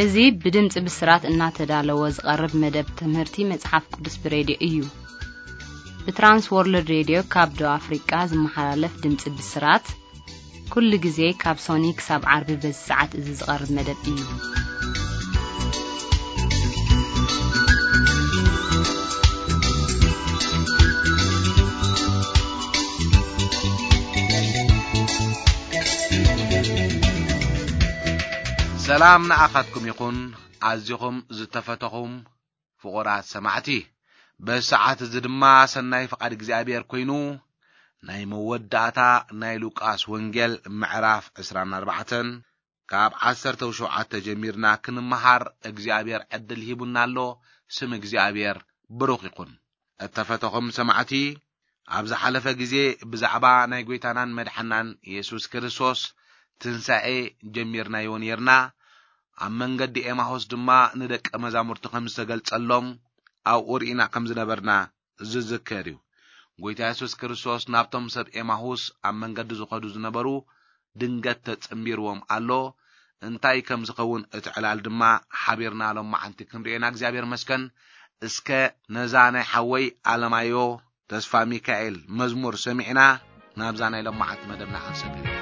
እዚ ብድምፂ ብስራት እናተዳለወ ዝቐርብ መደብ ትምህርቲ መጽሓፍ ቅዱስ ብሬድዮ እዩ። ብትራንስ ወርልድ ሬድዮ ካብ ደቡብ ኣፍሪቃ ዝመሓላለፍ ድምፂ ብስራት፣ ኩሉ ግዜ ካብ ሶኒ ክሳብ ዓርቢ በዚ ሰዓት እዚ ዝቐርብ መደብ እዩ። ሰላም ንኣኻትኩም ይኹን፣ ኣዚኹም ዝተፈተኹም ፍቑራት ሰማዕቲ። በዚ ሰዓት እዚ ድማ ሰናይ ፍቓድ እግዚኣብሔር ኮይኑ፣ ናይ መወዳእታ ናይ ሉቃስ ወንጌል ምዕራፍ ዕስራን ኣርባዕተን ካብ ዓሰርተ ሸውዓተ ጀሚርና ክንመሃር እግዚኣብሔር ዕድል ሂቡና ኣሎ። ስም እግዚኣብሔር ብሩኽ ይኹን። እተፈተኹም ሰማዕቲ፣ ኣብ ዝሓለፈ ግዜ ብዛዕባ ናይ ጐይታናን መድሓናን የሱስ ክርስቶስ ትንሳኤ ጀሚርናዮ ኔርና። ኣብ መንገዲ ኤማሁስ ድማ ንደቀ መዛሙርቱ ከም ዝተገልጸሎም ኣብኡ ርኢና ከም ዝነበርና ዝዝከር እዩ። ጐይታ የሱስ ክርስቶስ ናብቶም ሰብ ኤማሁስ ኣብ መንገዲ ዝኸዱ ዝነበሩ ድንገት ተጸንቢርዎም ኣሎ። እንታይ ከም ዝኸውን እቲ ዕላል ድማ ሓቢርና ሎማዓንቲ ክንርእየና እግዚኣብሔር መስከን። እስከ ነዛ ናይ ሓወይ ኣለማዮ ተስፋ ሚካኤል መዝሙር ሰሚዕና ናብዛ ናይ ሎማዓንቲ መደብና ክንሰግር ኢና።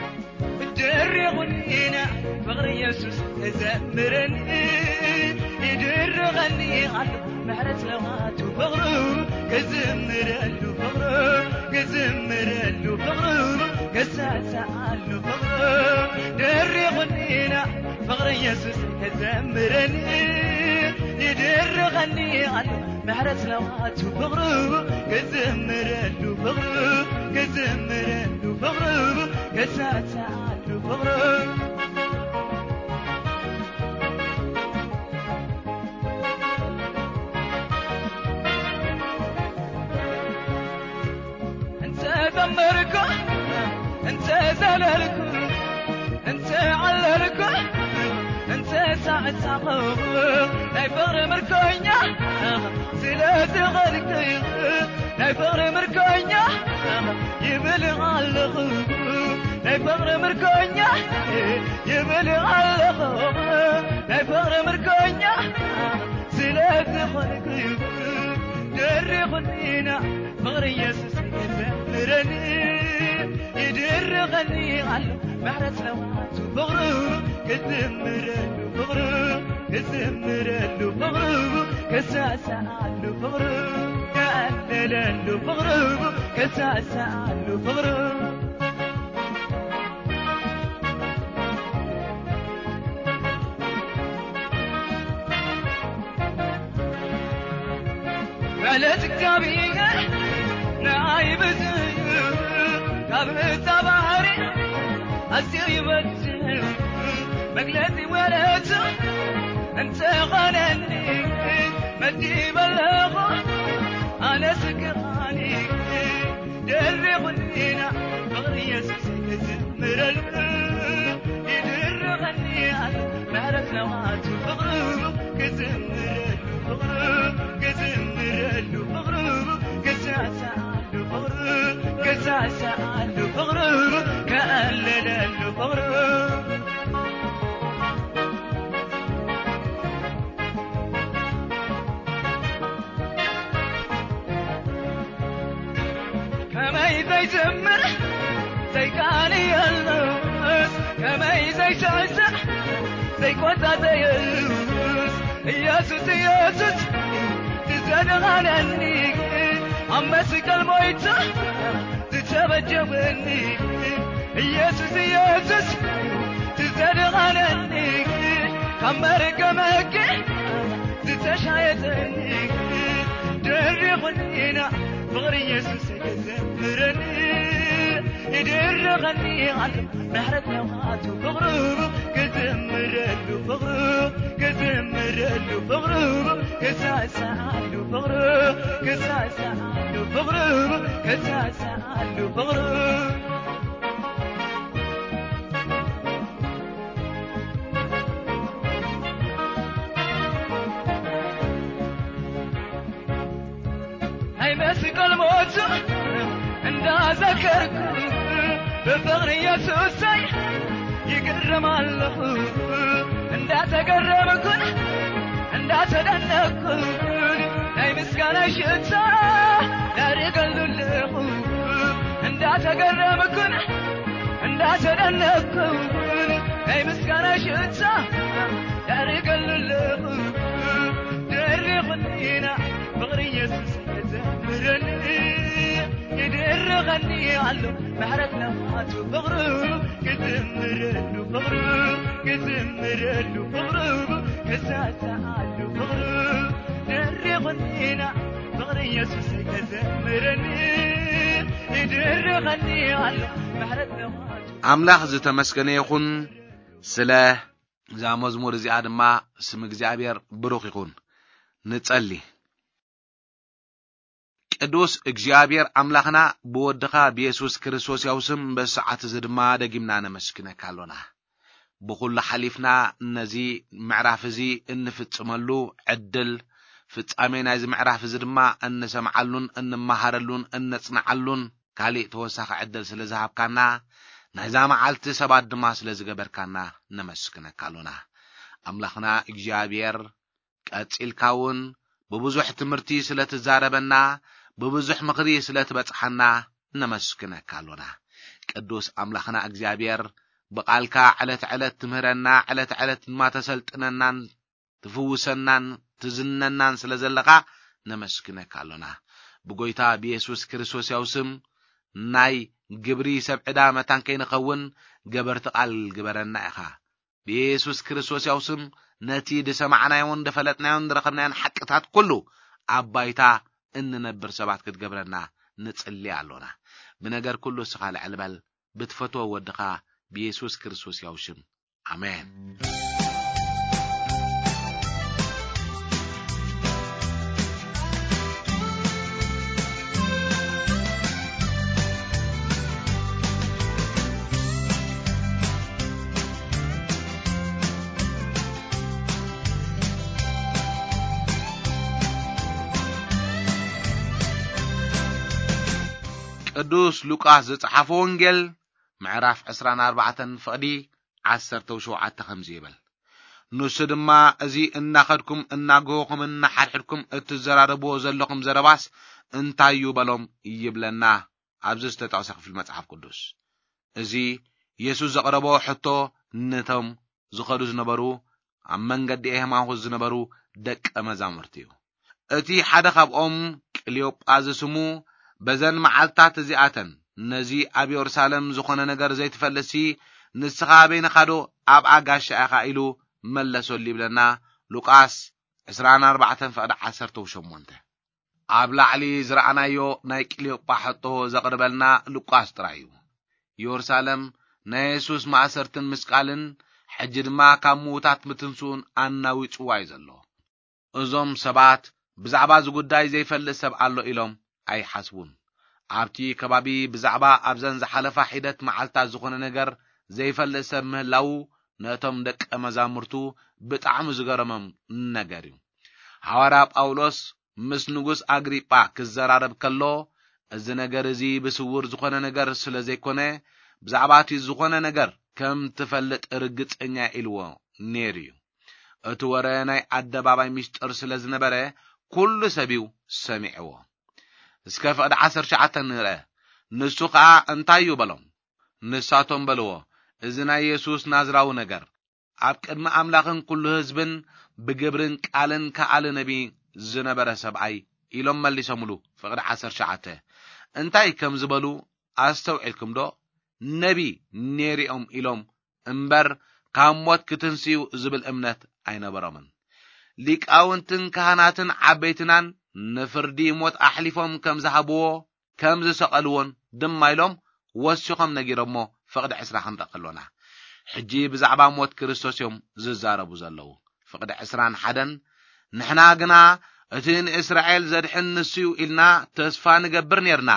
ደሪቑኒና ፍቕሪ የሱስ ተዘምረኒ፣ ይድርቐኒ ኣሎ ምሕረት ለዋቱ ፍቕሩ፣ ክዝምረሉ ፍቕሩ፣ ክዝምረሉ ፍቕሩ፣ ክሳሳኣሉ ፍቕሩ። ደሪቑኒና ፍቕሪ የሱስ ተዘምረኒ፣ ይድርቐኒ ኣሎ ምሕረት ለዋቱ ፍቕሩ፣ ክዝምረሉ ፍቕሩ፣ ክዝምረሉ ፍቕሩ፣ ክሳሳኣሉ ፍቕሩ። እንተ ዘመርኩ፣ እንተ ዘለልኩ፣ እንተ ዓለልኩ፣ እንተ ሳዕሳቑ፣ ናይ ፍቕሪ ምርኮኛ ስለ ዝኾንኩ፣ ናይ ፍቕሪ ምርኮኛ ይብል ኣለኹ፣ ናይ ፍቕሪ ምርኮኛ ይብል ኣለኹ፣ ናይ ፍቕሪ ምርኮኛ ስለ ዝኾንኩ፣ ደሪኹኒና ፍቕሪ የሱስ ይዘምረኒ፣ ይድርቐኒ ኣሎ ምሕረት ለዋቱ ፍቕሩ፣ ክዝምረሉ ፍቕሩ፣ ክዝምረሉ ፍቕሩ፣ ክሳሳኣሉ ፍቕሩ፣ ክዕለለሉ ፍቕሩ፣ ክሳሳኣሉ ፍቕሩ። ማለት እግዚኣብሔር ንኣይ ብዙ እዩ፣ ካብ እዛ ባህሪ ኣዝዩ ይበዝሕ እዩ። መግለጺ ወረቱ እንተኾነኒ መዲበለኹ ኣነ ስክራኒ። ደሪኹኒና ፍቕሪ የሱስ ክዝምረሉ፣ ይድርቐኒ ኣሎ ምሕረት ለዋቱ ፍቕሩ፣ ክዝምረሉ ፍቕሩ፣ ክዝምረሉ ፍቕሩ፣ ክሳሳኣሉ ፍቕሩ፣ ክሳሳኣሉ ፍቕሩ፣ ከዕለለሉ ፍቕሩ። ከመይ ዘይዝምር ዘይቃንየሉስ፣ ከመይ ዘይስዕስዕ ዘይቆጻጸየሉስ፣ ኢየሱስ ኢየሱስ ዝዘድኻነኒ፣ ኣብ መስቀል ሞይቱ ዝተበጀወኒ፣ ኢየሱስ ኢየሱስ ዝዘድኻነኒ፣ ካብ መርገመ ሕጊ ዝተሻየጠኒ፣ ደሪኹኒና ፍቕሪ ኢየሱስ ክዘምረኒ፣ ይድርቐኒ ኣሎ ምሕረት ለዋቱ ፍቕሩ፣ ክዝምረሉ ፍቕሩ፣ ክዝምረሉ ፍቕሩ፣ ክሳሳኣሉ ፍቕሩ፣ ክሳሳኣሉ ፍቕሩ፣ ክሳሳኣሉ ፍቕሩ። ናይ መስቀል ሞቱ እንዳዘከርኩ ብፍቕሪ የሱሰይ ይግረም ኣለኹ። እንዳተገረምኩን እንዳተደነቅኩን ናይ ምስጋና ሽታ ዳርገሉ ኣለኹ። እንዳተገረምኩን እንዳተደነቅኩን ናይ ምስጋና ሽታ ዳርገሉ ኣለኹ። ደሪኹኒና ፍቕሪ ኢየሱስ ክዘምረኒ ይድርኸኒ ኣሎ። ምሕረት ነፋቱ ፍቕሩ ክዝምረሉ ፍቕሩ ክዝምረሉ ፍቕሩ ክሳሳኣሉ ፍቕሩ ደሪኹኒና ፍቕሪ ኢየሱስ ከዘምረኒ ይድርኸኒ ኣሎ። ምሕረት ነፋቱ ኣምላኽ ዝተመስገነ ይኹን። ስለ እዛ መዝሙር እዚኣ ድማ ስም እግዚኣብሔር ብሩኽ ይኹን። ንጸሊ። ቅዱስ እግዚኣብሔር ኣምላኽና ብወድኻ ብየሱስ ክርስቶስ ያው ስም በዚ ሰዓት እዚ ድማ ደጊምና ነመስግነካ ኣሎና። ብኹሉ ሓሊፍና ነዚ ምዕራፍ እዚ እንፍጽመሉ ዕድል፣ ፍጻሜ ናይዚ ምዕራፍ እዚ ድማ እንሰምዓሉን እንመሃረሉን እነጽንዓሉን ካሊእ ተወሳኺ ዕድል ስለ ዝሃብካና፣ ናይዛ መዓልቲ ሰባት ድማ ስለ ዝገበርካና ነመስግነካ ኣሎና። ኣምላኽና እግዚኣብሔር ቀጺልካ እውን ብብዙሕ ትምህርቲ ስለ ትዛረበና፣ ብብዙሕ ምኽሪ ስለ ትበጽሓና ነመስግነካ ኣሎና። ቅዱስ ኣምላኽና እግዚኣብሔር ብቓልካ ዕለት ዕለት ትምህረና፣ ዕለት ዕለት ድማ ተሰልጥነናን ትፍውሰናን ትዝነናን ስለ ዘለኻ ነመስግነካ ኣሎና። ብጎይታ ብየሱስ ክርስቶስ ያው ስም ናይ ግብሪ ሰብ ዕዳ መታን ከይንኸውን ገበርቲ ቃል ግበረና ኢኻ። ብየሱስ ክርስቶስ ያው ስም ነቲ ዝሰማዕናዮን ዝፈለጥናዮን ዝረኸብናዮን ሓቅታት ኩሉ ኣብ ባይታ እንነብር ሰባት ክትገብረና ንጽሊ ኣሎና። ብነገር ኩሉ እስኻ ልዕል በል፣ ብትፈትዎ ወድኻ ብየሱስ ክርስቶስ ያው ሽም። ኣሜን። ቅዱስ ሉቃስ ዝጸሓፎ ወንጌል ምዕራፍ ዕስራን ኣርባዕተን ፍቕዲ ዓሰርተው ሸውዓተ ከምዚ ይብል። ንሱ ድማ፣ "እዚ እናኸድኩም እናገሆኹምን እናሓድሕድኩም እትዘራረብዎ ዘለኹም ዘረባስ እንታይ እዩ?" በሎም ይብለና ኣብዚ ዝተጠቕሰ ክፍሊ መጽሓፍ ቅዱስ። እዚ የሱስ ዘቕረቦ ሕቶ ነቶም ዝኸዱ ዝነበሩ፣ ኣብ መንገዲ ኤማሁስ ዝነበሩ ደቀ መዛሙርቲ እዩ። እቲ ሓደ ካብኦም፣ ቅልዮጳ ዝስሙ፣ በዘን መዓልታት እዚኣተን፣ "ነዚ ኣብ የሩሳሌም ዝኾነ ነገር ዘይትፈልጥሲ፣ ንስኻ ኣበይንኻ ዶ ኣብኣ ጋሻ ኢኻ?" ኢሉ መለሰሉ ይብለና ሉቃስ ዕስራን ኣርባዕተን ፍቕዲ ዓሰርተው ሸሞንተ። ኣብ ላዕሊ ዝረኣናዮ ናይ ቅልዮጳ ሕቶ ዘቕርበልና ሉቃስ ጥራይ እዩ። የሩሳሌም ናይ የሱስ ማእሰርትን ምስቃልን፣ ሕጂ ድማ ካብ ምዉታት ምትንስኡን ኣናዊጽዋ እዩ ዘሎ። እዞም ሰባት ብዛዕባ እዚ ጉዳይ ዘይፈልጥ ሰብ ኣሎ ኢሎም ኣይሓስቡን። ኣብቲ ከባቢ ብዛዕባ ኣብዘን ዝሓለፋ ሒደት መዓልታት ዝኾነ ነገር ዘይፈልጥ ሰብ ምህላዉ ነቶም ደቀ መዛሙርቱ ብጣዕሚ ዝገረሞም ነገር እዩ። ሃዋርያ ጳውሎስ ምስ ንጉስ ኣግሪጳ ክዘራረብ ከሎ፣ "እዚ ነገር እዚ ብስውር ዝኾነ ነገር ስለ ዘይኮነ፣ ብዛዕባ እቲ ዝኾነ ነገር ከም ትፈልጥ ርግጸኛ" ኢልዎ ነይሩ እዩ። እቲ ወረ ናይ ኣደባባይ ምስጢር ስለ ዝነበረ፣ ኩሉ ሰብ እዩ ሰሚዕዎ። እስከ ፍቕዲ ዓሰርተ ትሽዓተ ንርአ። ንሱ ኸኣ እንታይ እዩ በሎም? ንሳቶም በልዎ፣ "እዚ ናይ የሱስ ናዝራዊ ነገር፣ ኣብ ቅድሚ ኣምላኽን ኩሉ ህዝብን ብግብርን ቃልን ከኣሊ ነቢ ዝነበረ ሰብኣይ" ኢሎም መሊሶምሉ። ፍቕዲ ዓሰርተ ትሽዓተ። እንታይ ከም ዝበሉ ኣስተውዒልኩም ዶ? ነቢ ነይርኦም ኢሎም እምበር፣ ካብ ሞት ክትንስዩ ዝብል እምነት ኣይነበሮምን። ሊቃውንትን ካህናትን ዓበይትናን ንፍርዲ ሞት ኣሕሊፎም ከም ዝሃብዎ፣ ከም ዝሰቐልዎን ድማ ኢሎም ወሲኾም ነጊሮሞ። ፍቕዲ ዕስራ ክንርኢ ከሎና፣ ሕጂ ብዛዕባ ሞት ክርስቶስ እዮም ዝዛረቡ ዘለዉ። ፍቕዲ ዕስራን ሓደን፣ "ንሕና ግና እቲ ንእስራኤል ዘድሕን ንሱ እዩ ኢልና ተስፋ ንገብር ኔርና።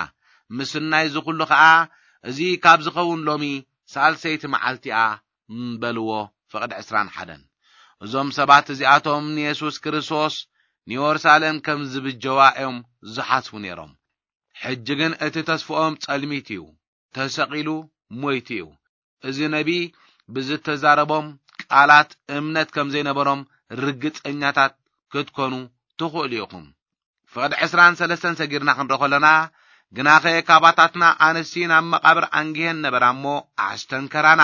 ምስናይ እዚ ኩሉ ኸኣ፣ እዚ ካብ ዝኸውን ሎሚ ሳልሰይቲ መዓልቲ እያ" በልዎ። ፍቕዲ ዕስራን ሓደን። እዞም ሰባት እዚኣቶም ንየሱስ ክርስቶስ ንየሩሳሌም ከም ዝብጀዋ እዮም ዝሓስቡ ነይሮም። ሕጂ ግን እቲ ተስፍኦም ጸልሚት እዩ። ተሰቒሉ ሞይቱ እዩ። እዚ ነቢ ብዝተዛረቦም ቃላት እምነት ከም ዘይነበሮም ርግጸኛታት ክትኮኑ ትኽእሉ ኢኹም። ፍቕዲ ዕስራን ሰለስተን ሰጊርና ክንርኢ ከለና፣ ግናኸ ካባታትና ኣንስቲ ናብ መቓብር ኣንጊሄን ነበራ እሞ ኣስተንከራና።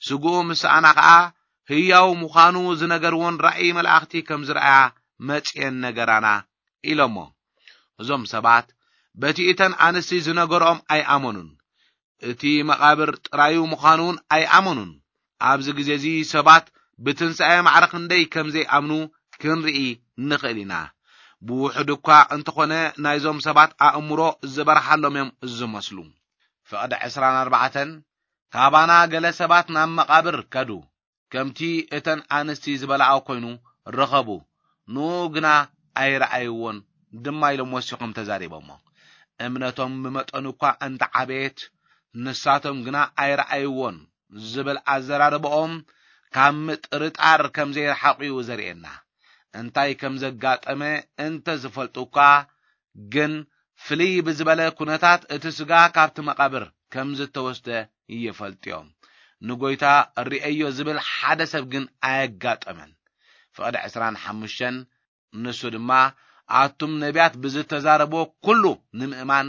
ስግኡ ምስ ሰኣና ኸኣ ህያው ምዃኑ ዝነገርዎን ራእይ መላእኽቲ ከም ዝረኣያ መጺኤን ነገራና ኢሎሞ። እዞም ሰባት በቲ እተን ኣንስቲ ዝነገርኦም ኣይኣመኑን። እቲ መቓብር ጥራዩ ምዃኑ እውን ኣይኣመኑን። ኣብዚ ግዜ እዚ ሰባት ብትንሳኤ ማዕረ ክንደይ ከም ዘይኣምኑ ክንርኢ ንኽእል ኢና። ብውሑድ እኳ እንተኾነ ናይዞም ሰባት ኣእምሮ ዝበርሃሎም እዮም ዝመስሉ። ፍቕዲ ዕስራን ኣርባዕተን ካባና ገለ ሰባት ናብ መቓብር ከዱ። ከምቲ እተን ኣንስቲ ዝበላኣ ኮይኑ ረኸቡ። ንኡ ግና ኣይረኣይዎን ድማ ኢሎም ወሲኾም ተዛሪቦሞ። እምነቶም ብመጠኑ እኳ እንተዓበየት ንሳቶም ግና ኣይረኣይዎን ዝብል ኣዘራርባኦም ካብ ምጥርጣር ከም ዘይረሓቑ እዩ ዘርእየና። እንታይ ከም ዘጋጠመ እንተ ዝፈልጡ እኳ ግን ፍልይ ብዝበለ ኩነታት እቲ ስጋ ካብቲ መቓብር ከም ዝተወስደ ይፈልጡ እዮም። ንጎይታ ርእየዮ ዝብል ሓደ ሰብ ግን ኣየጋጠመን። ፍቕዲ ዕስራን ሓሙሽተን ንሱ ድማ ኣቱም ነቢያት ብዝተዛረብዎ ኩሉ ንምእማን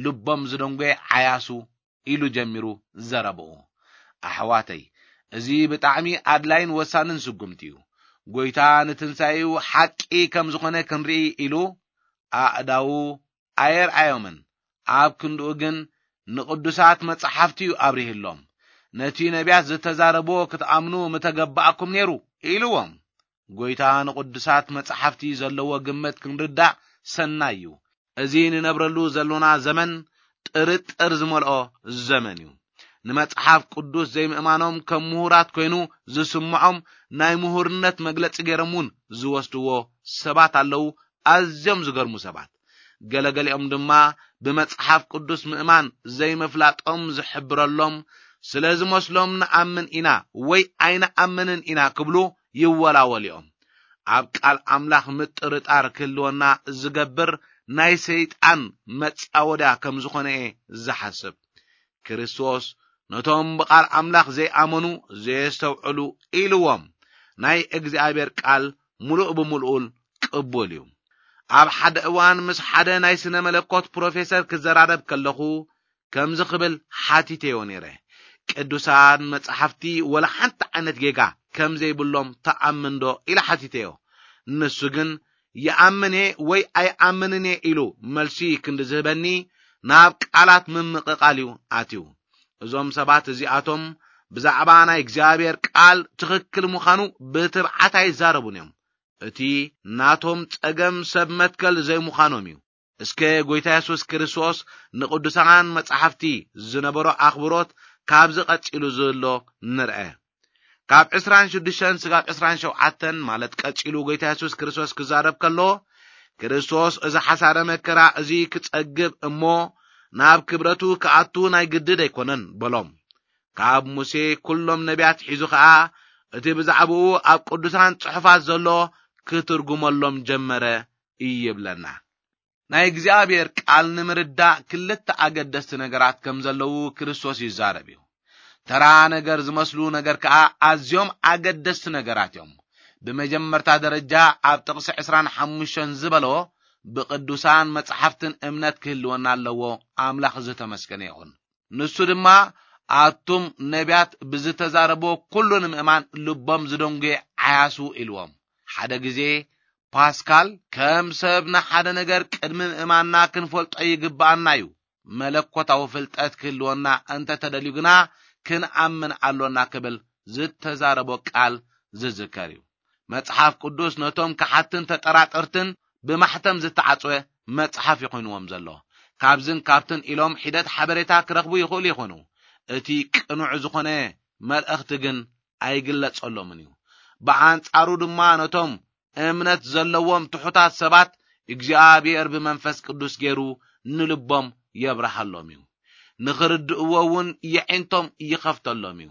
ልቦም ዝደንጎየ ዓያሱ ኢሉ ጀሚሩ ዘረብኡ። ኣሕዋተይ፣ እዚ ብጣዕሚ ኣድላይን ወሳንን ስጉምቲ እዩ። ጎይታ ንትንሳኤኡ ሓቂ ከም ዝኾነ ክንርኢ ኢሉ ኣእዳዉ ኣየርኣዮምን፣ ኣብ ክንድኡ ግን ንቕዱሳት መጻሕፍቲ እዩ ኣብሪህሎም። ነቲ ነቢያት ዝተዛረብዎ ክትኣምኑ ምተገባእኩም ነይሩ ኢልዎም። ጎይታ ንቕዱሳት መጻሕፍቲ ዘለዎ ግምት ክንርዳእ ሰናይ እዩ። እዚ ንነብረሉ ዘሎና ዘመን ጥርጥር ዝመልኦ ዘመን እዩ። ንመጽሓፍ ቅዱስ ዘይምእማኖም ከም ምሁራት ኮይኑ ዝስምዖም ናይ ምሁርነት መግለጺ ገይሮም እውን ዝወስድዎ ሰባት ኣለዉ፣ ኣዝዮም ዝገርሙ ሰባት። ገለገሊኦም ድማ ብመጽሓፍ ቅዱስ ምእማን ዘይምፍላጦም ዝሕብረሎም ስለ ዝመስሎም ንኣምን ኢና ወይ ኣይንኣምንን ኢና ክብሉ ይወላወሉ እዮም። ኣብ ቃል ኣምላኽ ምጥርጣር ክህልወና ዝገብር ናይ ሰይጣን መጻወድያ ከም ዝኾነ እየ ዝሓስብ። ክርስቶስ ነቶም ብቓል ኣምላኽ ዘይኣመኑ ዘየስተውዕሉ ኢልዎም። ናይ እግዚኣብሔር ቃል ምሉእ ብምልኡል ቅቡል እዩ። ኣብ ሓደ እዋን ምስ ሓደ ናይ ስነ መለኮት ፕሮፌሰር ክዘራረብ ከለኹ ከምዚ ክብል ሓቲተዮ ነይረ። ቅዱሳን መጻሕፍቲ ወላ ሓንቲ ዓይነት ጌጋ ከም ዘይብሎም ተኣምን ዶ ኢለ ሓቲተዮ። ንሱ ግን ይኣምን እየ ወይ ኣይኣምንን እየ ኢሉ መልሲ ክንዲ ዝህበኒ ናብ ቃላት ምምቕቓል እዩ ኣትዩ። እዞም ሰባት እዚኣቶም ብዛዕባ ናይ እግዚኣብሔር ቃል ትኽክል ምዃኑ ብትብዓት ኣይዛረቡን እዮም። እቲ ናቶም ጸገም ሰብ መትከል ዘይምዃኖም እዩ። እስከ ጎይታ የሱስ ክርስቶስ ንቅዱሳን መጻሕፍቲ ዝነበሮ ኣኽብሮት ካብዚ ቀጺሉ ዘሎ ንርአ። ካብ ዕስራን ሽዱሽተን ስጋብ ዕስራን ሸውዓተን ማለት ቀጺሉ ጎይታ የሱስ ክርስቶስ ክዛረብ ከሎ፣ ክርስቶስ እዚ ሓሳረ መከራ እዚ ክጸግብ እሞ ናብ ክብረቱ ክኣቱ ናይ ግድድ ኣይኮነን በሎም። ካብ ሙሴ ኩሎም ነቢያት ሒዙ ኸኣ እቲ ብዛዕባኡ ኣብ ቅዱሳን ጽሑፋት ዘሎ ክትርጉመሎም ጀመረ ይብለና። ናይ እግዚኣብሔር ቃል ንምርዳእ ክልተ ኣገደስቲ ነገራት ከም ዘለዉ ክርስቶስ ይዛረብ እዩ። ተራ ነገር ዝመስሉ ነገር ከኣ ኣዝዮም ኣገደስቲ ነገራት እዮም። ብመጀመርታ ደረጃ ኣብ ጥቕሲ ዕስራን ሓሙሽተን ዝበሎ ብቅዱሳን መጻሕፍትን እምነት ክህልወና ኣለዎ። ኣምላኽ ዝተመስገነ ይኹን። ንሱ ድማ ኣቱም ነቢያት ብዝተዛረቦ ኩሉ ንምእማን ልቦም ዝደንጉየ ዓያሱ ኢልዎም። ሓደ ግዜ ፓስካል ከም ሰብ ንሓደ ነገር ቅድሚ ምእማንና ክንፈልጦ ይግብኣና እዩ። መለኮታዊ ፍልጠት ክህልወና እንተተደልዩ ግና ክንኣምን ኣሎና ክብል ዝተዛረቦ ቃል ዝዝከር እዩ። መጽሓፍ ቅዱስ ነቶም ከሓትን ተጠራጠርትን ብማሕተም ዝተዓጽወ መጽሓፍ ይኾይንዎም ዘሎ። ካብዝን ካብትን ኢሎም ሒደት ሓበሬታ ክረኽቡ ይኽእሉ ይኾኑ። እቲ ቅኑዕ ዝኾነ መልእኽቲ ግን ኣይግለጸሎምን እዩ። ብኣንጻሩ ድማ ነቶም እምነት ዘለዎም ትሑታት ሰባት እግዚኣብሔር ብመንፈስ ቅዱስ ገይሩ ንልቦም የብርሃሎም እዩ። ንኽርድእዎ እውን የዒንቶም ይኸፍተሎም እዩ።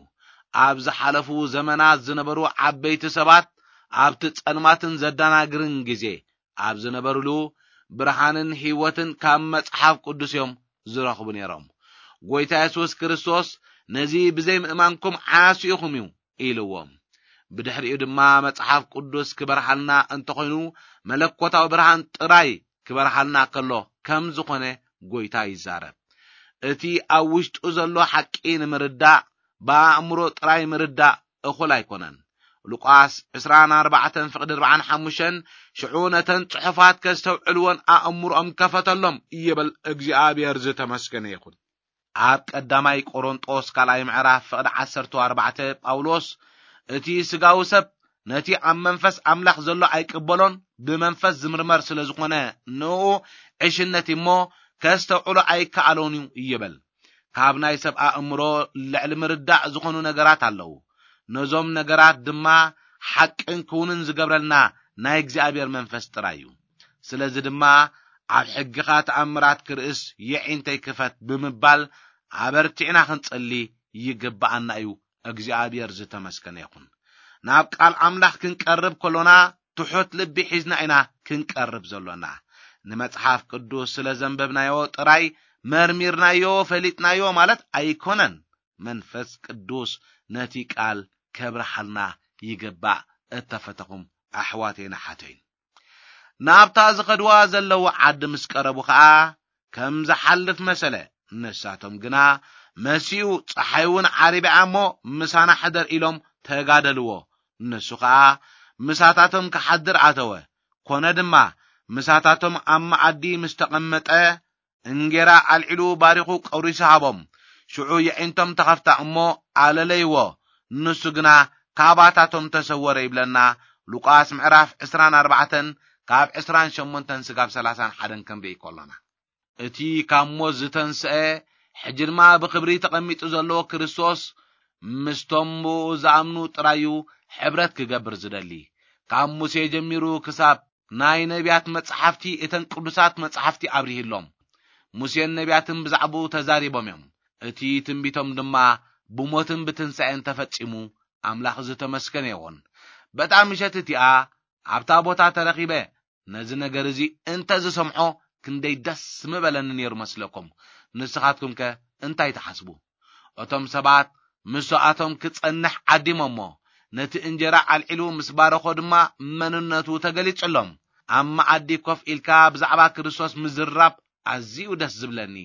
ኣብ ዝሓለፉ ዘመናት ዝነበሩ ዓበይቲ ሰባት ኣብቲ ጸልማትን ዘደናግርን ግዜ ኣብ ዝነበሩሉ ብርሃንን ሕይወትን ካብ መጽሓፍ ቅዱስ እዮም ዝረኽቡ ነይሮም። ጎይታ የሱስ ክርስቶስ ነዚ ብዘይ ምእማንኩም ዓያሱ ኢኹም እዩ ኢልዎም። ብድሕሪኡ ድማ መጽሓፍ ቅዱስ ክበርሃልና እንተኾይኑ፣ መለኮታዊ ብርሃን ጥራይ ክበርሃልና ከሎ ከም ዝኾነ ጎይታ ይዛረብ። እቲ ኣብ ውሽጡ ዘሎ ሓቂ ንምርዳእ፣ ብኣእምሮ ጥራይ ምርዳእ እኹል ኣይኮነን። ሉቃስ ዕስራን ኣርባዕተን ፍቕዲ ኣርባዓን ሓሙሽተን፣ ሽዑ ነተን ጽሑፋት ከስተውዕልዎን ኣእምሮኦም ከፈተሎም ይብል። እግዚኣብሔር ዝተመስገነ ይኹን። ኣብ ቀዳማይ ቆሮንጦስ ካልኣይ ምዕራፍ ፍቕዲ ዓሰርተ ኣርባዕተ ጳውሎስ፣ እቲ ስጋዊ ሰብ ነቲ ኣብ መንፈስ ኣምላኽ ዘሎ ኣይቅበሎን፣ ብመንፈስ ዝምርመር ስለ ዝኾነ ንኡ ዕሽነት እሞ ከስተውዕሎ ኣይከኣሎን እዩ ይብል። ካብ ናይ ሰብ ኣእምሮ ልዕሊ ምርዳእ ዝኾኑ ነገራት ኣለዉ። ነዞም ነገራት ድማ ሓቅን ክውንን ዝገብረልና ናይ እግዚኣብሔር መንፈስ ጥራይ እዩ። ስለዚ ድማ ኣብ ሕግኻ ተኣምራት ክርእስ የዒንተይ ክፈት ብምባል ኣበርቲዕና ክንጸሊ ይግብኣና እዩ። እግዚኣብሔር ዝተመስገነ ይኹን። ናብ ቃል ኣምላኽ ክንቀርብ ከሎና ትሑት ልቢ ሒዝና ኢና ክንቀርብ ዘሎና። ንመጽሓፍ ቅዱስ ስለ ዘንበብናዮ ጥራይ መርሚርናዮ ፈሊጥናዮ ማለት ኣይኮነን። መንፈስ ቅዱስ ነቲ ቃል ከብርሃልና ይግባእ። እተፈተኹም ኣሕዋተይን ኣሓተይን፣ ናብታ ዝኸድዋ ዘለዉ ዓዲ ምስ ቀረቡ ኸኣ ከም ዝሓልፍ መሰለ። ንሳቶም ግና መሲኡ፣ ጸሓይ እውን ዓሪባ እሞ ምሳና ሕደር ኢሎም ተጋደልዎ። ንሱ ኸኣ ምሳታቶም ክሓድር ኣተወ። ኮነ ድማ ምሳታቶም ኣብ መኣዲ ምስ ተቐመጠ እንጌራ ኣልዒሉ ባሪኹ ቆሪሱ ሃቦም። ሽዑ የዒንቶም ተኸፍታ እሞ ኣለለይዎ። ንሱ ግና ካባታቶም ተሰወረ ይብለና። ሉቃስ ምዕራፍ ዕስራን ኣርባዕተን ካብ ዕስራን ሸሞንተን ስጋብ ሰላሳን ሓደን ክንርኢ ከሎና፣ እቲ ካብ ሞት ዝተንስአ፣ ሕጂ ድማ ብኽብሪ ተቐሚጡ ዘሎ ክርስቶስ ምስቶም ብኡ ዝኣምኑ ጥራዩ ሕብረት ክገብር ዝደሊ። ካብ ሙሴ ጀሚሩ ክሳብ ናይ ነቢያት መጻሕፍቲ፣ እተን ቅዱሳት መጻሕፍቲ ኣብሪህሎም። ሙሴን ነቢያትን ብዛዕባኡ ተዛሪቦም እዮም። እቲ ትንቢቶም ድማ ብሞትን ብትንሳኤን ተፈጺሙ። ኣምላኽ ዝተመስገነ ይኹን። በታ ምሸት እቲኣ ኣብታ ቦታ ተረኺበ ነዚ ነገር እዚ እንተ ዝሰምዖ ክንደይ ደስ ምበለኒ ነይሩ መስለኩም። ንስኻትኩም ከ እንታይ ትሓስቡ? እቶም ሰባት ምስኣቶም ክጸንሕ ዓዲሞሞ፣ ነቲ እንጀራ ኣልዒሉ ምስ ባረኾ ድማ መንነቱ ተገሊጹሎም። ኣብ መኣዲ ኮፍ ኢልካ ብዛዕባ ክርስቶስ ምዝራብ ኣዝዩ ደስ ዝብለኒ።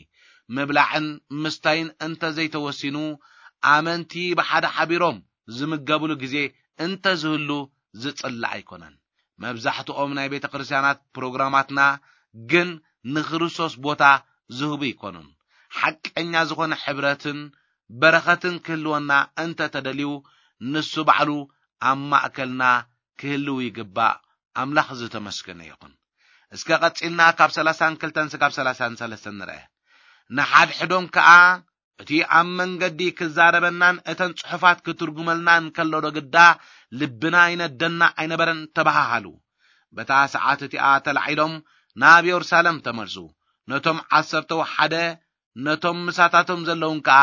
ምብላዕን ምስታይን እንተ ዘይተወሲኑ፣ ኣመንቲ ብሓደ ሓቢሮም ዝምገብሉ ግዜ እንተ ዝህሉ ዝጽላእ ኣይኮነን። መብዛሕትኦም ናይ ቤተ ክርስቲያናት ፕሮግራማትና ግን ንክርስቶስ ቦታ ዝህቡ ኣይኮኑን። ሓቀኛ ዝኾነ ሕብረትን በረኸትን ክህልወና እንተ ተደልዩ፣ ንሱ ባዕሉ ኣብ ማእከልና ክህልው ይግባእ። ኣምላኽ ዝተመስገነ ይኹን። እስከ ቀጺልና ካብ ሰላሳን ክልተን ስጋብ ሰላሳን ሰለስተን ንርአ። ንሓድሕዶም ከኣ እቲ ኣብ መንገዲ ክዛረበናን እተን ጽሑፋት ክትርጉመልናን ከሎ ዶ ግዳ ልብና ይነደና ኣይነበረን ተባሃሃሉ። በታ ሰዓት እቲኣ ተላዒሎም ናብ የሩሳሌም ተመልሱ። ነቶም ዓሰርተው ሓደ ነቶም ምሳታቶም ዘለዉን ከኣ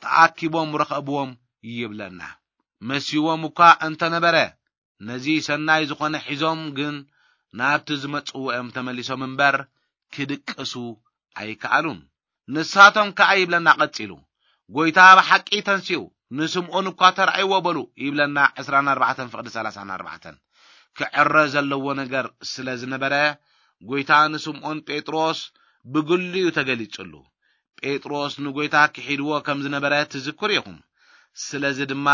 ተኣኪቦም ረኸብዎም ይብለና። መሲዎም እኳ እንተነበረ፣ ነዚ ሰናይ ዝኾነ ሒዞም ግን ናብቲ ዝመጽዎ እዮም ተመሊሶም እምበር ክድቅሱ ኣይከኣሉን። ንሳቶም ከኣ ይብለና ቀጺሉ፣ ጎይታ ብሓቂ ተንሲኡ፣ ንስምዖን እኳ ተራእይዎ በሉ ይብለና። ዕስራን ኣርባዕተን ፍቕዲ ሰላሳን ኣርባዕተን። ክዕረ ዘለዎ ነገር ስለ ዝነበረ፣ ጎይታ ንስምዖን ጴጥሮስ ብግሉ እዩ ተገሊጹሉ። ጴጥሮስ ንጎይታ ክሒድዎ ከም ዝነበረ ትዝክሩ ኢኹም። ስለዚ ድማ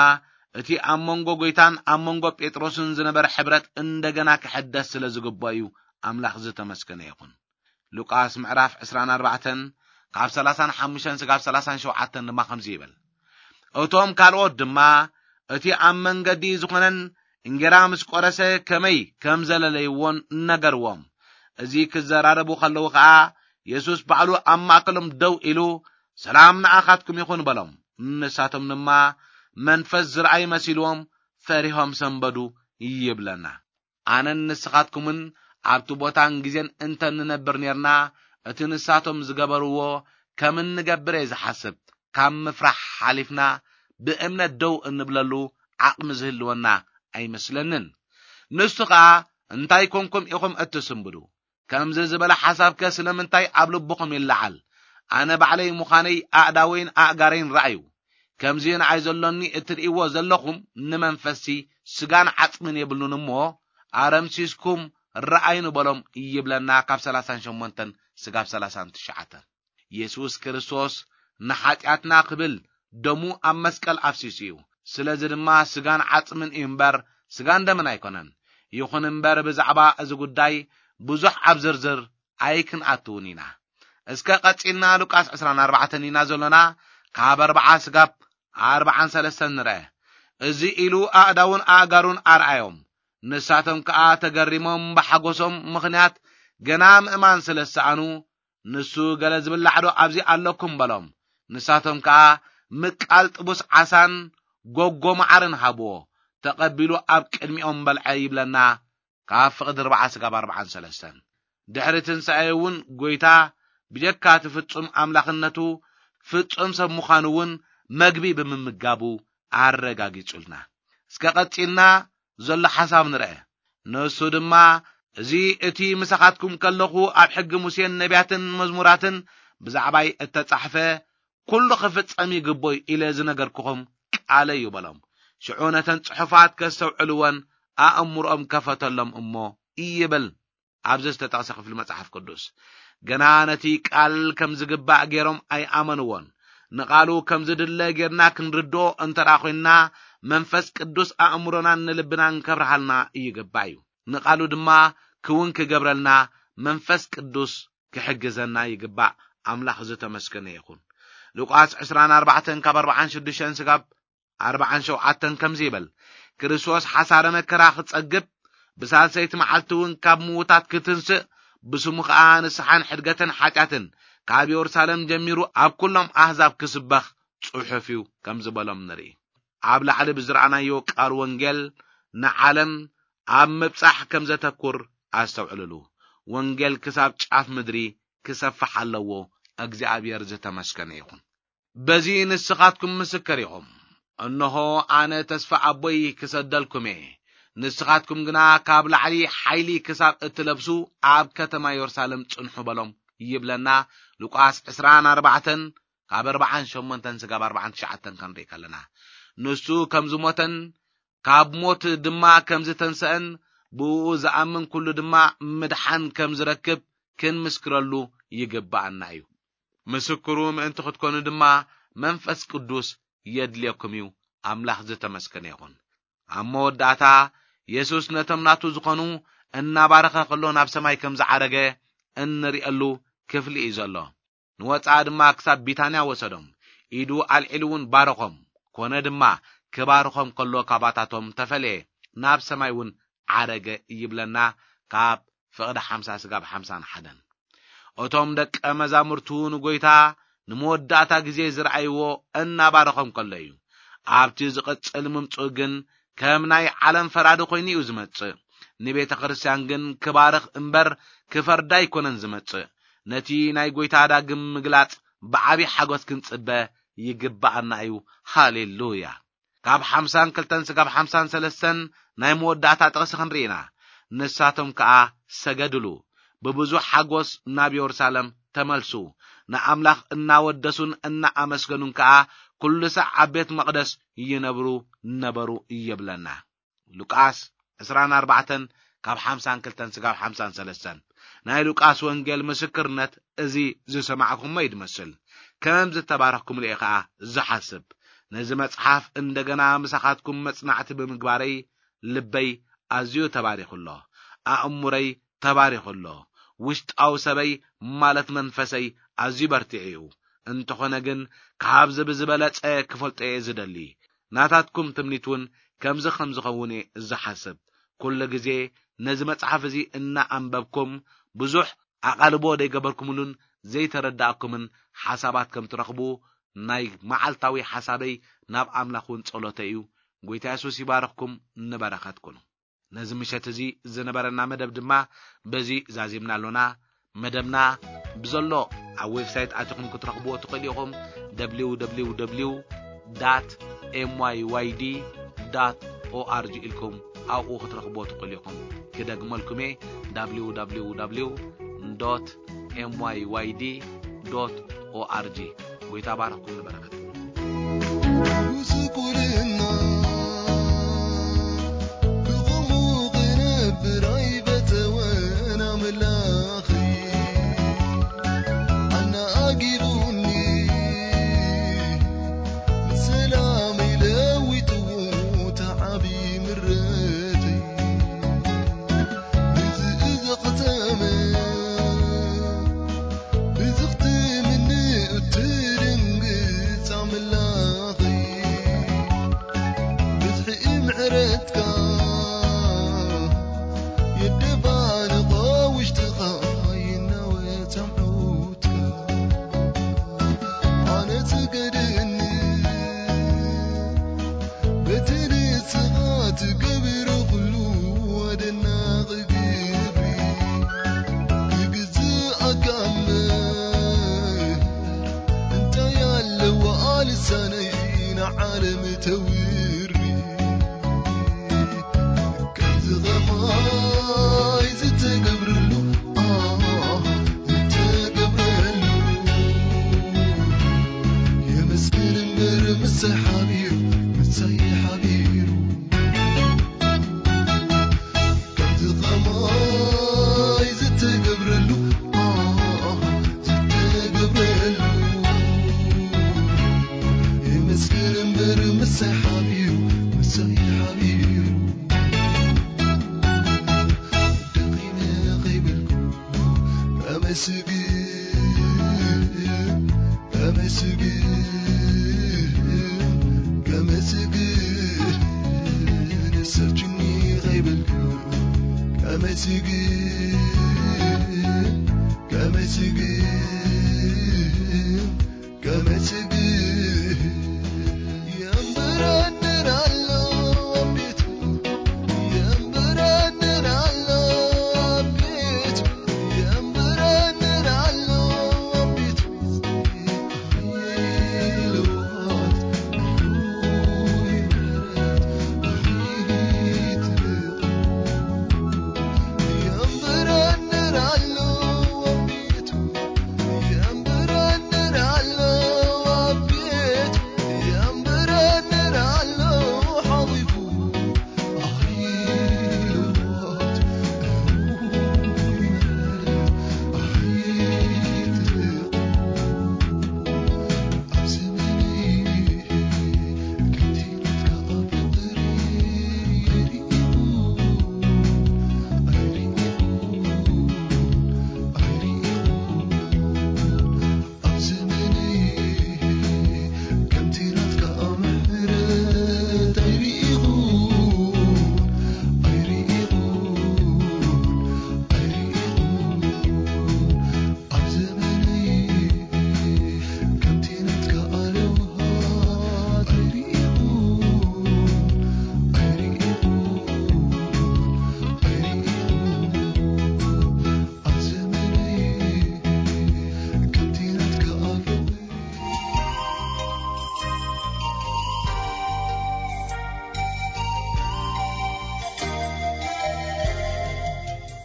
እቲ ኣብ መንጎ ጎይታን ኣብ መንጎ ጴጥሮስን ዝነበረ ሕብረት እንደገና ክሕደስ ስለ ዝግባእ እዩ። ኣምላኽ ዝተመስገነ ይኹን። ሉቃስ ምዕራፍ ዕስራን ኣርባዕተን ካብ ሰላሳን ሓሙሽተን ስጋብ ሰላሳን ሸውዓተን ድማ ከምዚ ይብል። እቶም ካልኦት ድማ እቲ ኣብ መንገዲ ዝኾነን እንጌራ ምስ ቆረሰ ከመይ ከም ዘለለይዎን ነገርዎም። እዚ ክዘራረቡ ከለዉ ኸኣ የሱስ ባዕሉ ኣብ ማእከሎም ደው ኢሉ፣ "ሰላም ንኣኻትኩም ይኹን" በሎም። ንሳቶም ድማ መንፈስ ዝረኣይ መሲልዎም ፈሪሆም ሰንበዱ ይብለና። ኣነን ንስኻትኩምን ኣብቲ ቦታን ግዜን እንተ ንነብር ኔርና፣ እቲ ንሳቶም ዝገበርዎ ከም እንገብር እየ ዝሓስብ። ካብ ምፍራሕ ሓሊፍና ብእምነት ደው እንብለሉ ዓቕሚ ዝህልወና ኣይመስለንን። ንሱ ኸኣ፣ "እንታይ ኮንኩም ኢኹም እትስንብዱ? ከምዚ ዝበለ ሓሳብከ ስለምንታይ ኣብ ልብኹም ይለዓል? ኣነ ባዕለይ ምዃነይ ኣእዳወይን ኣእጋረይን ረኣዩ። ከምዚ ንዓይ ዘሎኒ እትርእይዎ ዘለኹም ንመንፈስሲ ስጋን ዓጽምን የብሉን እሞ፣ ኣረምሲስኩም ረኣዩ ንበሎም ይብለና፣ ካብ ሰላሳን ሸሞንተን ስጋብ ሰላሳን ትሽዓተን። የሱስ ክርስቶስ ንሓጢኣትና ክብል ደሙ ኣብ መስቀል ኣፍሲሱ እዩ። ስለዚ ድማ ስጋን ዓጽምን እዩ እምበር፣ ስጋን ደምን ኣይኮነን። ይኹን እምበር፣ ብዛዕባ እዚ ጉዳይ ብዙሕ ኣብ ዝርዝር ኣይክንኣትውን ኢና። እስከ ቀጺልና ሉቃስ ዕስራን ኣርባዕተን ኢና ዘሎና፣ ካብ ኣርብዓ ስጋብ ኣርብዓን ሰለስተን ንርአ። እዚ ኢሉ ኣእዳውን ኣእጋሩን ኣርኣዮም። ንሳቶም ከኣ ተገሪሞም ብሓጎሶም ምኽንያት ገና ምእማን ስለ ዝሰኣኑ፣ ንሱ ገለ ዝብላዕ ዶ ኣብዚ ኣለኩም በሎም። ንሳቶም ከኣ ምቃል ጥቡስ ዓሳን ጎጎ መዓርን ሃብዎ። ተቐቢሉ ኣብ ቅድሚኦም በልዐ ይብለና፣ ካብ ፍቕዲ ኣርብዓ ስጋብ ኣርብዓን ሰለስተን። ድሕሪ ትንሳኤ እውን ጐይታ ብጀካ እቲ ፍጹም ኣምላኽነቱ፣ ፍጹም ሰብ ምዃኑ እውን መግቢ ብምምጋቡ ኣረጋጊጹልና። እስከ ቀጺልና ዘሎ ሓሳብ ንርአ። ንሱ ድማ፣ እዚ እቲ ምሳኻትኩም ከለኹ ኣብ ሕጊ ሙሴን ነቢያትን መዝሙራትን ብዛዕባይ እተጻሕፈ ኩሉ ክፍጸም ይግቦ እዩ ኢለ ዝነገርኩኹም ቃለይ እዩ በሎም። ሽዑ ነተን ጽሑፋት ከስተውዕልወን ኣእምሮኦም ከፈተሎም እሞ ይብል ኣብዚ ዝተጠቕሰ ክፍሊ መጽሓፍ ቅዱስ። ገና ነቲ ቃል ከም ዝግባእ ገይሮም ኣይኣመንዎን። ንቓሉ ከም ዝድለ ጌርና ክንርድኦ እንተ ደኣ ኾይንና፣ መንፈስ ቅዱስ ኣእምሮናን ንልብናን ከብርሃልና ይግባእ እዩ። ንቓሉ ድማ ክውን ክገብረልና መንፈስ ቅዱስ ክሕግዘና ይግባእ። ኣምላኽ ዝተመስገነ ይኹን። ሉቃስ ዕስራን ኣርባዕተን ካብ ኣርብዓን ሽዱሽተን ስጋብ ኣርብዓን ሸውዓተን ከምዚ ይብል፣ ክርስቶስ ሓሳረ መከራ ክጸግብ፣ ብሳልሰይቲ መዓልቲ እውን ካብ ምዉታት ክትንስእ፣ ብስሙ ኸኣ ንስሓን ሕድገትን ሓጢኣትን ካብ የሩሳሌም ጀሚሩ ኣብ ኩሎም ኣህዛብ ክስበኽ ጽሑፍ እዩ ከም ዝበሎም ንርኢ። ኣብ ላዕሊ ብዝረኣናዮ ቃል ወንጌል ንዓለም ኣብ ምብጻሕ ከም ዘተኩር ኣስተውዕልሉ። ወንጌል ክሳብ ጫፍ ምድሪ ክሰፍሕ ኣለዎ። እግዚኣብሔር ዝተመስገነ ይኹን። በዚ ንስኻትኩም ምስክር ኢኹም። እንሆ ኣነ ተስፋ ኣቦይ ክሰደልኩም እየ። ንስኻትኩም ግና ካብ ላዕሊ ሓይሊ ክሳብ እትለብሱ ኣብ ከተማ የሩሳሌም ጽንሑ በሎም ይብለና። ሉቃስ ዕስራን ኣርባዕተን ካብ ኣርባዓን ሸሞንተን ስጋብ ኣርባዓን ትሽዓተን ክንርኢ ከለና፣ ንሱ ከም ዝሞተን ካብ ሞት ድማ ከም ዝተንሰአን ብእኡ ዝኣምን ኩሉ ድማ ምድሓን ከም ዝረክብ ክንምስክረሉ ይግብኣና እዩ። ምስክሩ ምእንቲ ክትኮኑ ድማ መንፈስ ቅዱስ የድልየኩም እዩ። ኣምላኽ ዝተመስገነ ይኹን። ኣብ መወዳእታ የሱስ ነቶም ናቱ ዝኾኑ እናባረኸ ከሎ ናብ ሰማይ ከም ዝዓረገ እንርእየሉ ክፍሊ እዩ ዘሎ። ንወጻኢ ድማ ክሳብ ቢታንያ ወሰዶም። ኢዱ ኣልዒሉ እውን ባረኾም። ኮነ ድማ ክባርኾም ከሎ ካባታቶም ተፈልየ፣ ናብ ሰማይ እውን ዓረገ ይብለና ካብ ፍቕዲ ሓምሳ ስጋብ ሓምሳን ሓደን። እቶም ደቀ መዛሙርቱ ንጎይታ ንመወዳእታ ግዜ ዝረኣይዎ እናባረኾም ከሎ እዩ። ኣብቲ ዝቕጽል ምምጽኡ ግን ከም ናይ ዓለም ፈራዲ ኮይኑ እዩ ዝመጽእ። ንቤተ ክርስቲያን ግን ክባርኽ እምበር ክፈርዳ ኣይኮነን ዝመጽእ። ነቲ ናይ ጎይታ ዳግም ምግላጽ ብዓቢ ሓጎስ ክንጽበ ይግብኣና እዩ። ሃሌሉያ! ካብ ሓምሳን ክልተን ስጋብ ሓምሳን ሰለስተን ናይ መወዳእታ ጥቕሲ ክንርኢ ኢና። ንሳቶም ከኣ ሰገድሉ፣ ብብዙሕ ሓጎስ ናብ የሩሳሌም ተመልሱ፣ ንኣምላኽ እናወደሱን እናኣመስገኑን ከኣ ኩሉ ሳዕ ኣብ ቤት መቕደስ ይነብሩ ነበሩ ይብለና። ሉቃስ ዕስራን ኣርባዕተን ካብ ሓምሳን ክልተን ስጋብ ሓምሳን ሰለስተን። ናይ ሉቃስ ወንጌል ምስክርነት እዚ ዝሰማዕኩሞ እዩ ዝመስል። ከም ዝተባረኽኩምሉ እየ ኸኣ ዝሓስብ። ነዚ መጽሓፍ እንደገና ምሳኻትኩም መጽናዕቲ ብምግባረይ ልበይ ኣዝዩ ተባሪኹ ኣሎ። ኣእሙረይ ተባሪኹ ኣሎ። ውሽጣዊ ሰበይ ማለት መንፈሰይ ኣዝዩ በርቲዑ እዩ። እንተኾነ ግን ካብዚ ብዝበለጸ ክፈልጦ እየ ዝደሊ። ናታትኩም ትምኒት እውን ከምዚ ከም ዝኸውን እየ ዝሓስብ። ኩሉ ግዜ ነዚ መጽሓፍ እዚ እናኣንበብኩም ብዙሕ ኣቓልቦ ዘይገበርኩምሉን ዘይተረዳእኩምን ሓሳባት ከም ትረኽቡ ናይ መዓልታዊ ሓሳበይ ናብ ኣምላኽ እውን ጸሎተይ እዩ። ጎይታ የሱስ ይባርኽኩም፣ ንበረኸት ኩኑ። ነዚ ምሸት እዚ ዝነበረና መደብ ድማ በዚ ዛዚምና ኣሎና። መደብና ብዘሎ ኣብ ዌብሳይት ኣቲኹም ክትረኽብዎ ትኽእሉ ኢኹም። www dot myyd dot org ኢልኩም ኣብኡ ክትረኽብዎ ትኽእሉ ኢኹም። ክደግመልኩም እየ፣ www dot myyd dot org። ጎይታ ባረኽኩም፣ ንበረኸት። ስኻ ትገብሮ ኩሉ ኣደናቒ ግብሪ ክግዝኣካ እምበር፣ እንታይ ኣለዋ ልሳነይ ንዓለም ተውሪ? ከምዚ ኸማይ ዝተገብረሉ፣ ኣህ፣ ዝተገብረሉ። የመስግን እምበር ምሳይ ሓቢሩ፣ ምሳይ ሓቢሩ። ከምዚ ኸማይ ዝተገብረሉ፣ ኣህ፣ ዝተገብረሉ። የመስግን እምበር ምሳይ ሓቢሩ፣ ምሳይ ሓቢሩ። ደኺመ ኸይበልኩ፣ ኣመስግን፣ ኣመስግን፣ ከመስግን ሰልችኒ ኸይበልኩ፣ ከመስግን፣ ከመስግን፣ ከመስግን። የንብረንን ኣሎ ኣብ ቤቱ፣ የንብረንን ኣሎ ኣብ ቤቱ፣ የንብረንን ኣሎ ኣብ ቤቱ።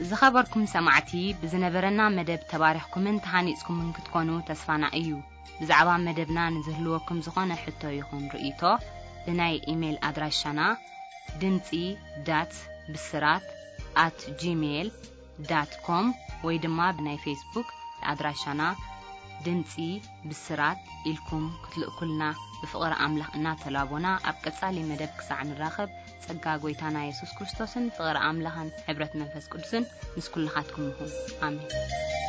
ዝኸበርኩም ሰማዕቲ፣ ብዝነበረና መደብ ተባሪኽኩምን ተሃኒጽኩምን ክትኮኑ ተስፋና እዩ። ብዛዕባ መደብና ንዝህልወኩም ዝኾነ ሕቶ ይኹን ርእይቶ፣ ብናይ ኢሜይል ኣድራሻና ድምጺ ዳት ብስራት ኣት ጂሜይል ዳት ኮም ወይ ድማ ብናይ ፌስቡክ ኣድራሻና ድምጺ ብስራት ኢልኩም ክትልእኩልና ብፍቕሪ ኣምላኽ እናተላቦና፣ ኣብ ቀጻሊ መደብ ክሳዕ ንራኸብ፣ ጸጋ ጐይታና የሱስ ክርስቶስን ፍቕሪ ኣምላኽን ሕብረት መንፈስ ቅዱስን ምስ ኩልኻትኩም ይኹን። ኣሜን።